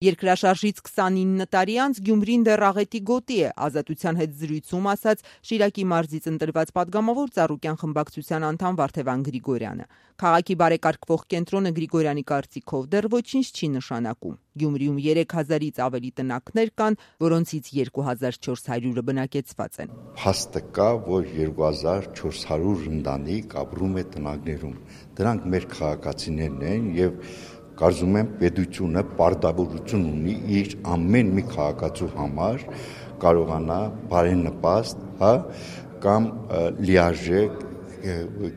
Երկրաշարժից 29 տարի անց Գյումրին դեռ աղետի գոտի է, Ազատության հետ զրույցում ասաց Շիրակի մարզից ընտրված պատգամավոր Ծառուկյան խմբակցության անդամ Վարդևան Գրիգորյանը։ Քաղաքի բարեկարգվող կենտրոնը Գրիգորյանի կարծիքով դեռ ոչինչ չի նշանակում։ Գյումրիում 3000-ից ավելի տնակներ կան, որոնցից 2400-ը բնակեցված են։ Փաստը կա, որ 2400 ընտանիք ապրում է տնակներում։ Դրանք մեր քաղաքացիներն են եւ կարծում եմ պետությունը պարտավորություն ունի իր ամեն մի քաղաքացու համար կարողանա բարենպաստ, կամ լիարժեք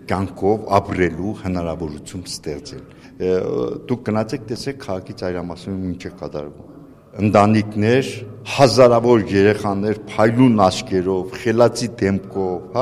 կյանքով ապրելու հնարավորություն ստեղծել։ Դուք գնացեք տեսեք քաղաքի ծայրամասում ինչ է կատարվում։ Ընտանիքներ, հազարավոր երեխաներ փայլուն աչքերով, խելացի դեմքով,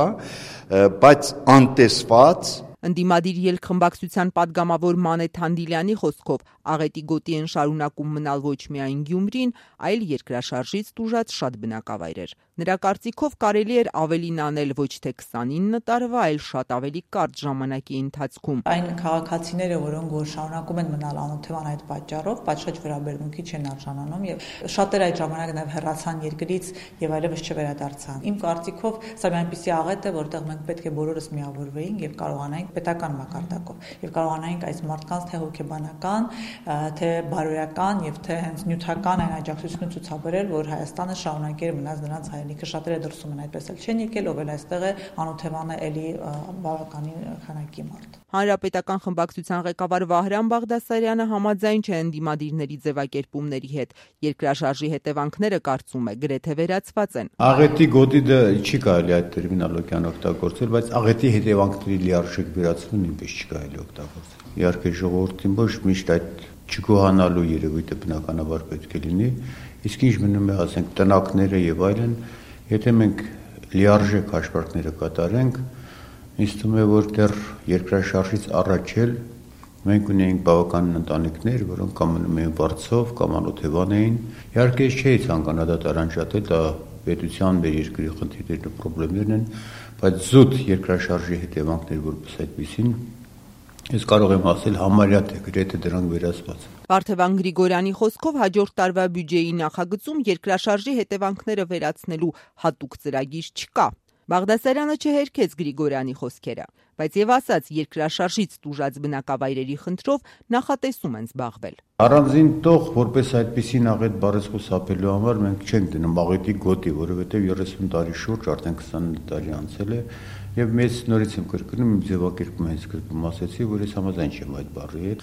բայց անտեսված։ Ընդդիմադիր ելքխմբակցության պատգամավոր Մանե Թանդիլյանի խոսքով աղետի գոտի են շարունակում մնալ ոչ միայն Գյումրին, այլ երկրաշարժից տուժած շատ բնակավայրեր։ Նրա կարծիքով կարելի էր ավելին անել ոչ թե 29 տարվա, այլ շատ ավելի կարճ ժամանակի ընթացքում։ Այն քաղաքացիները, որոնք որ շարունակում են մնալ անօթևան այդ պատճառով, պատշաճ վերաբերմունքի չեն արժանանում եւ շատերը այդ ժամանակ նաեւ հեռացան երկրից եւ այլևս չվերադարձան։ Իմ կարծիքով սա մի այնպիսի աղետ է, որտեղ մենք պետք է բոլորս միավորվեինք եւ կարողանայինք պետական մակարդակով եւ կարողանայինք այս մարդկանց թե հոգեբանական, թե բարոյական եւ թե հենց նյութական այն աջակցությունը ցուցաբերել, որ Հայաստանը շարունակեր մնաց նրանց հայրենիքը։ Շատերը դրսում են այդպես էլ չեն եկել, ով էլ այստեղ է անօթևան է էլի բավականին քանակի մարդ։ Հանրապետական խմբակցության ղեկավար Վահրամ Բաղդասարյանը համաձայն չէ ընդդիմադիրների ձևակերպումների հետ։ Երկրաշարժի հետևանքները կարծում է գրեթե վերացված են։ Աղետի գոտի դա չի կարելի այդ տերմինոլոգիան օգտագործել, բայց աղետի հետևանքների լիարժեք վերացումն ինքնից չի կարելի օգտագործել։ Իհարկե ժողովրդին ոչ միշտ այդ չգոհանալու երևույթը բնականաբար պետք է լինի, իսկ ինչ մնում է, ասենք, տնակները եւ այլն, եթե մենք լիարժեք հաշվարկները կատարենք, ինձ թվում է, որ դեռ երկրաշարժից առաջ էլ մենք ունեինք բավական ընտանիքներ, որոնք կամ մնում էին վարձով, կամ անօթևան էին։ Իհարկե չէի ցանկանա դա տարանջատել, դա պետության մեր երկրի խնդիրներն ու խնդիրներն են, բայց զուտ երկրաշարժի հետևանքներ որպես այդպեսին ես կարող եմ ասել համարյա թե գրեթե դրանք վերացված։ Վարդևան Գրիգորյանի խոսքով հաջորդ տարվա բյուջեի նախագծում երկրաշարժի հետևանքները վերացնելու հատուկ ծրագիր չկա։ Բաղդասարյանը չհերքեց Գրիգորյանի խոսքերը, բայց եւ ասաց երկրաշարժից տուժած բնակավայրերի խնդրով նախատեսում են զբաղվել։ Առանձին տող որպես այդպիսին աղետ բառից խուսափելու համար մենք չենք դնում աղետի գոտի, որովհետեւ 30 տարի շուրջ արդեն 29 տարի անցել է եւ մեծ նորից եմ կրկնում իմ ձևակերպումը հենց կրկնում ասեցի, որ ես համաձայն չեմ այդ բառի հետ,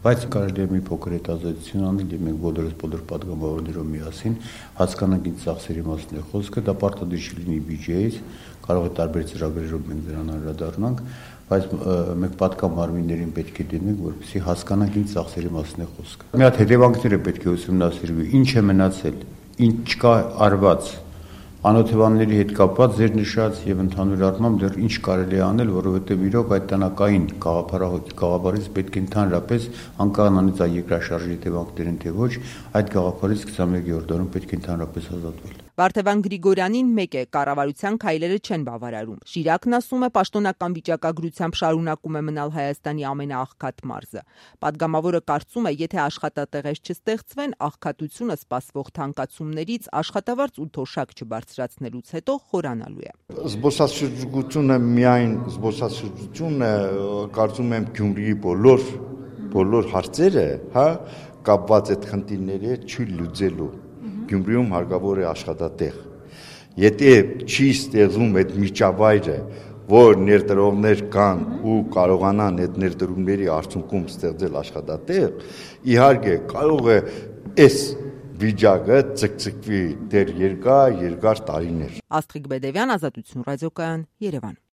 բայց կարելի է մի փոքր հետազոտություն անել եւ մենք բոլոր պատգամավորներով միասին հասկանանք ինչ ծախսերի մասին է խոսքը, դա պարտադիր չի լինի բյուջեից, կարող է տարբեր ծրագրերով մենք դրան անդրադառնանք, բայց մենք պատգամավորներին պետք է դիմենք, որպեսզի հասկանանք ինչ ծախսերի մասին է խոսքը։ Մի հատ հետևանքները պետք է ուսումնասիրվի, ինչ է մնացել, ինչ չկա արված անօթևանների հետ կապված ձեր նշած եւ ընդհանուր առմամբ դեռ ինչ կարելի է անել, որովհետեւ իրոք այդ տնակային գաղափարից պետք է ընդհանրապես անկախանից այդ երկրաշարժի հետևանքներին թե ոչ, այդ գաղափարից 21-րդ դարում պետք է ընդհանրապես ազատվել։ Վարդևան Գրիգորյանին մեկ է, կառավարության քայլերը չեն բավարարում։ Շիրակն ասում է պաշտոնական վիճակագրությամբ շարունակում է մնալ Հայաստանի ամենաաղքատ մարզը։ Պատգամավորը կարծում է, եթե աշխատատեղեր չստեղծվեն, աղքատությունը սպասվող թանկացումներից աշխատավարձ ու թոշակ չբարձրացնելուց հետո խորանալու է։ Զբոսաշրջությունը միայն զբոսաշրջությունը, կարծում եմ Գյումրիի բոլոր հարցերը, կապված այդ խնդիրների հետ չի լուծելու։ Գյումրիում հարկավոր է աշխատատեղ։ Եթե չի ստեղծվում այդ միջավայրը, որ ներդրողներ կան ու կարողանան այդ ներդրումների արդյունքում ստեղծել աշխատատեղ, իհարկե կարող է այս վիճակը ցկցկվի դեռ երկար տարիներ։ Աստղիկ Բեդևյան, Ազատություն ռադիոկայան, Երևան։